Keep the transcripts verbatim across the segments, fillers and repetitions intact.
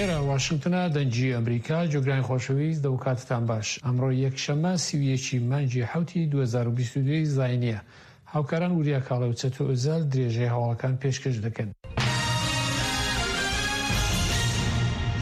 ئێرە واشنگتنە، دەنگی ئەمریکا. گوێگرانی خۆشەویست، دەو کاتتان باش. ئەمڕۆ یەکشەممە سی و یەکی مانگی حەوتی دوو هەزار و بیست و دوو زاینیە. هاوکاران وریا کاڵێ و چەتۆ ئۆزەل درێژەی هەواڵەکان پێشکەش دەکەن.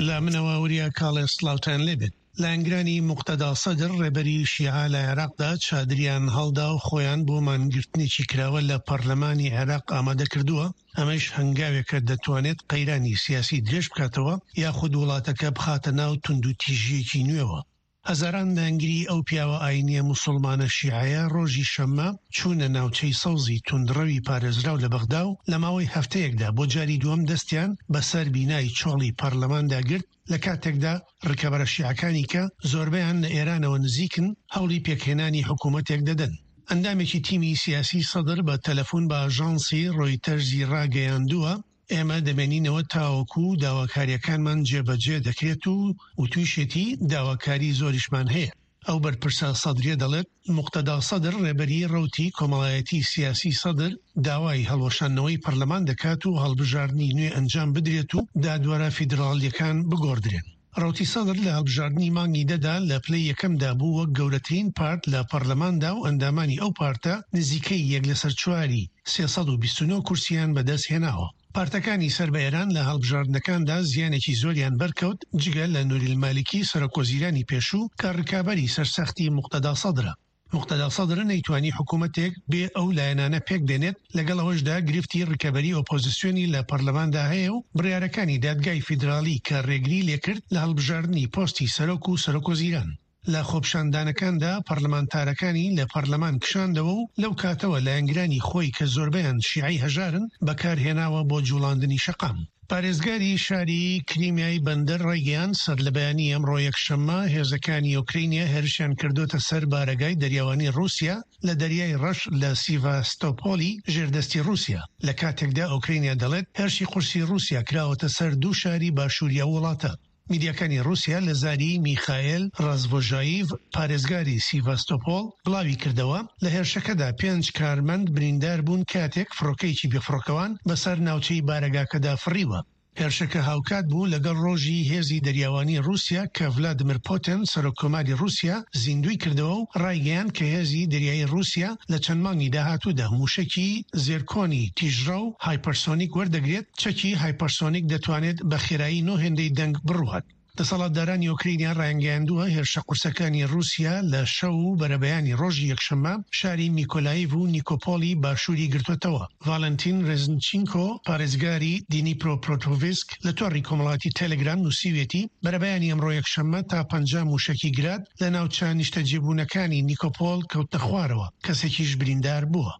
لە منەوە وریا کاڵێ سڵاوتان لێبێت. لایەنگرانی موقتەدا سەدر ڕێبەری شیعە لە عێراقدا چادریان هەڵدا و خۆیان بۆ مانگرتنێکی کراوە لە پەرلەمانی عێراق ئامادە کردووە، ئەمەش هەنگاوێکە دەتوانێت قەیرانی سیاسی درێژ بکاتەوە یاخود وڵاتەکە بخاتە ناو توندوتیژیەکی نوێوە. هەزاران لایەنگری ئەو پیاوە ئاینیە موسڵمانە شیعەیە ڕۆژی شەممە چوونە ناوچەی سەوزی توندڕەوی پارێزراو لە بەغدا و لە ماوەی هەفتەیەکدا بۆ جاری دووەم دەستیان بەسەر بینای چۆڵی پەرلەماندا گرت، لە کاتێکدا ڕکەبەرە شیعەکانی کە زۆربەیان لە ئێرانەوە نزیکن هەوڵی پێکهێنانی حکوومەتێک دەدەن. ئەندامێکی تیمی سیاسی سەدر بە تەلەفۆن بە ئاژانسی ڕۆیتەرزی ڕاگەیاندووە، ئێمە دەمێنینەوە تاوەکو داواکاریەکانمان جێبەجێ دەکرێت و وتویشێتی داواکاری زۆریشمان هەیە. ئەو بەرپرسە سەدریە دەڵێت موقتەدا سەدر ڕێبەری ڕەوتی کۆمەڵایەتی سیاسی سەدر داوای هەڵوەشاندنەوەی پەرلەمان دەکات و هەڵبژاردنی نوێ ئەنجام بدرێت و دادوەرە فیدراڵیەکان بگۆڕدرێن. ڕەوتی سەدر لە هەڵبژاردنی مانگی دەدا لە پلەی یەکەمدا بوو وەک گەورەترین پارت لە پەرلەماندا و ئەندامانی ئەو پارتە نزیکەی یەک لەسەر چواری سێ سەد و بیست و نۆ کورسیان بەدەست هێناوە. پارتەکانی سەر بە ئێران لە هەڵبژاردنەکاندا زیانێکی زۆریان بەرکەوت، جگە لە نوریل مالیکی سەرۆک وەزیرانی پێشوو کە ڕکابەری سەرسەختی موقتەدا سەدرە. موقتەدا سەدر نەیتوانی حکوومەتێک بێ ئەو لایەنانە پێک بێنێت، لەگەڵ ئەوەشدا گرفتی ڕکەبەری ئۆپۆزیسیۆنی لە پەرلەماندا هەیە و بڕیارەکانی دادگای فیدراڵی کە ڕێگری لێکرد لە هەڵبژاردنی پۆستی سەرۆک و سەرۆک وەزیران. لە خۆپیشاندانەکاندا پەرلەمانتارەکانی لە پەرلەمان کشاندەوە و لەو کاتەوە لایەنگرانی خۆی کە زۆربەیان شیعەی هەژارن بەکارهێناوە بۆ جوڵاندنی شەقام. پارێزگاری شاری کریمیای بەندەر ڕایگەیاند سەر لە بەیانی ئەمڕۆ یەکشەممە هێزەکانی ئۆکرینیا هێرشیان کردوتە سەر بارەگای دەریاوانی ڕووسیا لە دەریای ڕەش لە سیڤاستۆپۆلی ژێردەستی ڕووسیا، لە کاتێکدا ئۆکرینیا دەڵێت هێرشی قورسی ڕووسیا کراوەتە سەر دوو شاری باشووری ئەو وڵاتە. میدیاکانی ڕووسیا لە زاری میخائیل ڕازڤۆژایڤ پارێزگاری سیڤاستۆپۆل بڵاوی کردەوە لە هێرشەکەدا پێنج کارمەند بریندار بوون کاتێک فڕۆکەیەکی بێفڕۆکەوان بەسەر ناوچەی بارەگاکەدا فڕیوە. هێرشەکە هاوکات بوو لەگەڵ ڕۆژی هێزی دەریاوانی ڕووسیا کە ڤلادیمیر پوتین سەرۆک کۆماری ڕووسیا زیندووی کردەوە و ڕایگەیاند کە هێزی دەریایی ڕووسیا لە چەند مانگی داهاتوودا موشەکی زێرکۆنی تیژڕەو هایپەرسۆنیک وەردەگرێت. چەکی هایپەرسۆنیک دەتوانێت بە خێرایی نۆ هێندەی دەنگ بڕوات. دەسەڵاتدارانی ئۆکرینیا ڕایانگەیاندووە هێرشە قورسەکانی ڕووسیا لە شەو و بەرەبەیانی ڕۆژی یەکشەممە شاری میکۆلایڤ و نیکۆپۆلی باشووری گرتووەتەوە. ڤالنتین ڕێزنچینکۆ پارێزگاری دینیپرۆپرۆتۆڤسک لە تۆڕی کۆمەڵاتی تەلەگرام نووسیوێتی بەرەبەیانی ئەمڕۆ یەکشەممە تا پەنجا موشەکی گراد لە ناوچە نیشتەجێبوونەکانی نیکۆپۆل کەوتنە خوارەوە، کەسێکیش بریندار بووە.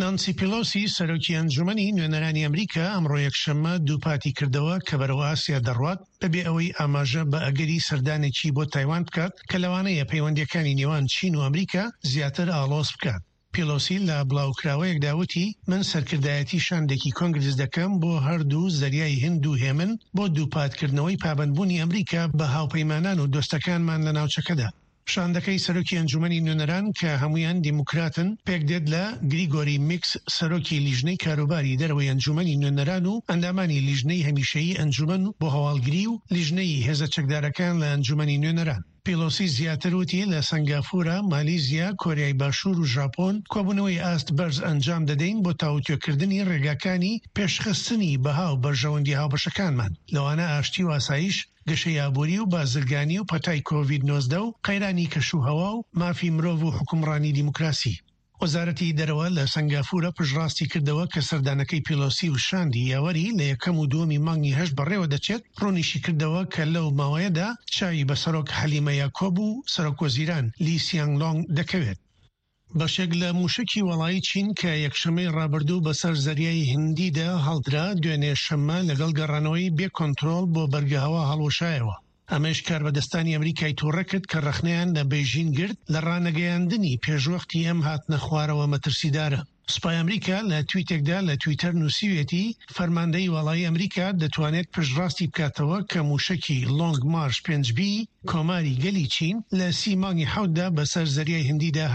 نانسی پیلۆسی سەرۆکی ئەنجومەنی نوێنەرانی ئەمریکا ئەمڕۆ یەکشەممە دووپاتی کردەوە کە بەرەو ئاسیا دەڕوات بەبێ ئەوەی ئاماژە بە ئەگەری سەردانێکی بۆ تایوان بکات کە لەوانەیە پەیوەندیەکانی نێوان چین و ئەمریکا زیاتر ئاڵۆز بکات. پیلۆسی لە بڵاوکراوەیەکدا وتی من سەرکردایەتی شاندێکی کۆنگرس دەکەم بۆ هەردوو زەریای هند و هێمن بۆ دووپاتکردنەوەی پابەندبوونی ئەمریکا بە هاوپەیمانان و دۆستەکانمان لە ناوچەکەدا. شاندەکەی سەرۆکی ئەنجومەنی نوێنەران کە هەمویان دیموکراتن پێکدێت لە گریگۆری میکس سەرۆکی لیژنەی کاروباری دەرەوەی ئەنجومەنی نوێنەران و ئەندامانی لیژنەی هەمیشەیی ئەنجومەن بۆ هەواڵگری و لیژنەی هێزە چەکدارەکان لە ئەنجومەنی نوێنەران. پیلۆسی زیاتر وتی لە سنگافورە، مالیزیا، کۆریای باشوور و ژاپۆن کۆبوونەوەی ئاست بەرز ئەنجام دەدەین بۆ تاوتوێکردنی ڕێگاکانی پێشخستنی بەها و بەرژەوەندی هاوبەشەکانمان، لەوانە ئاشتی و ئاسایش، گەشەی ئابووری و بازرگانی و پەتای کۆڤید نۆزدە و قەیرانی کەشوهەوا و مافی مرۆڤ و حکومڕانی دیموکراسی. وەزارەتی دەرەوە لە سنگافورە پشتڕاستی کردەوە کە سەردانەکەی پیلۆسی و شاندی یاوەری لە یەکەم و دووەمی مانگی هەشت بەڕێوە دەچێت. ڕوونیشی کردەوە کە لەو ماوەیەدا چاوی بە سەرۆک حەلیمە یاکۆب و سەرۆک وەزیران لی سیانگ لۆنگ دەکەوێت. بەشێک لە موشکی وەڵایی چین کە یەکشەمەی ڕابردوو بەسەر زەریای هندیدا هەڵدرا دوێنێ شەممە لەگەڵ گەڕانەوەی بێ کۆنترۆڵ بۆ بەرگەهەوا هەڵوەشایەوە. ئەمەش کاربەدەستانی ئەمریکای تووڕە کرد کە ڕەخنەیان لە بەیژین گرت لە ڕانەگەیاندنی پێشوەختی ئەم هاتنە خوارەوە مەترسیدارە. سوپای ئەمریکا لە تویتێکدا لە تویتەر نووسیوێتی فەرماندەی وەڵایی ئەمریکا دەتوانێت پشتڕاستی بکاتەوە کە موشکی لۆنگ مارش پێنج بی کۆماری گەلی چین لە سی مانگی حەوتدا بەسەر زەریای هندیدا